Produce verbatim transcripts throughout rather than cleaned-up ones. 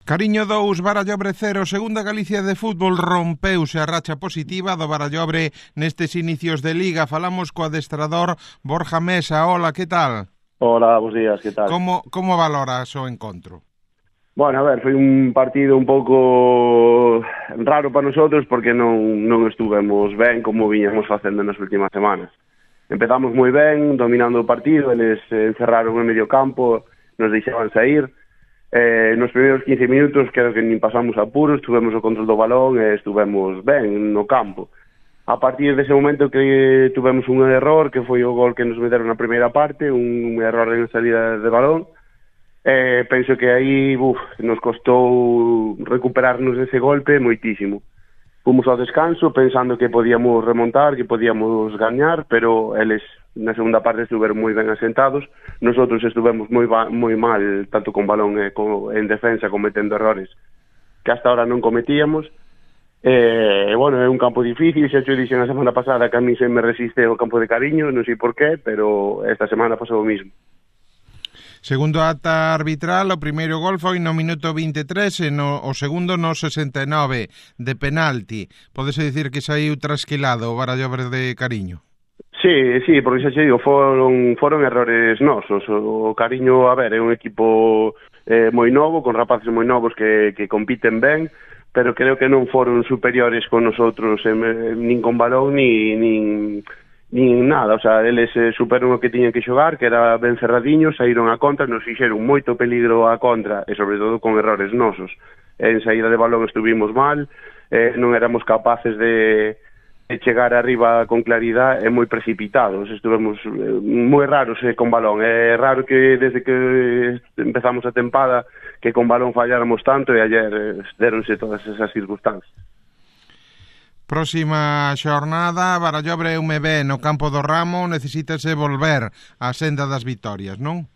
Cariño dous, Barallobre cero, segunda Galicia de fútbol rompeuse a racha positiva do Barallobre nestes inicios de Liga. Falamos co adestrador Borja Mesa. Hola, que tal? Hola, bons días, que tal? Como, como valoras o encontro? Bueno, a ver, foi un partido un pouco raro para nosotros porque non, non estuvemos ben como viñamos facendo nas últimas semanas. Empezamos moi ben, dominando o partido, eles encerraron en medio campo, nos deixaban sair. Eh, nos primeiros quince minutos creo que nin pasamos apuros, tuvemos o control do balón e estuvemos ben no campo. A partir dese momento que tuvemos un error, que foi o gol que nos meteron na primeira parte, un error en salida de balón. Eh, penso que aí uf, nos costou recuperarnos dese golpe moitísimo. Fomos ao descanso pensando que podíamos remontar, que podíamos gañar, pero eles na segunda parte estuveron moi ben asentados. Nosotros estuvemos moi moi mal, tanto con balón e co, en defensa, cometendo errores que hasta ahora non cometíamos. E, bueno, é un campo difícil, xa te dixen a semana pasada que a mí se me resiste o campo de Cariño, non sei por qué, pero esta semana pasou o mismo. Segundo ata arbitral, o primeiro gol foi no minuto vinte e tres e no, o segundo no sesenta e nove de penalti. Podese dicir que saiu trasquilado o Barallobre de Cariño? Sí, sí, porque xa xe digo, foron, foron errores nosos. O Cariño, a ver, é un equipo eh, moi novo, con rapaces moi novos que, que compiten ben, pero creo que non foron superiores con nosotros, eh, nin con balón, ni... nin... nin nada, o sea, eles eh, superon o que tiñan que xogar, que era ben cerradiños, saíron a contra, nos fixeron moito peligro a contra, e sobre todo con errores nosos. En saída de balón estuvimos mal, eh, non éramos capaces de, de chegar arriba con claridade, e moi precipitados, estuvemos eh, moi raros eh, con balón. É raro que desde que empezamos a tempada que con balón falláramos tanto, e ayer eh, deronse todas esas circunstancias. Próxima xornada, Barallobre e U M B no campo do Ramo, necesítase volver á senda das vitorias, non?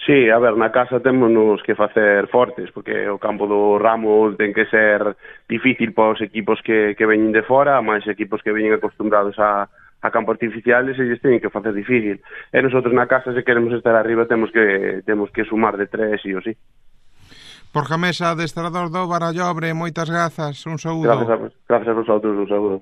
Sí, a ver, na casa temos que facer fortes, porque o campo do Ramo ten que ser difícil para os equipos que, que veñen de fora, máis equipos que veñen acostumbrados a, a campos artificiales, e eles teñen que facer difícil. E nosotros na casa, se queremos estar arriba, temos que temos que sumar de tres, sí ou sí. Borja Mesa, adestrador do Barallobre, moitas grazas, un saúdo. Gracias a, gracias a vosotros, un saúdo.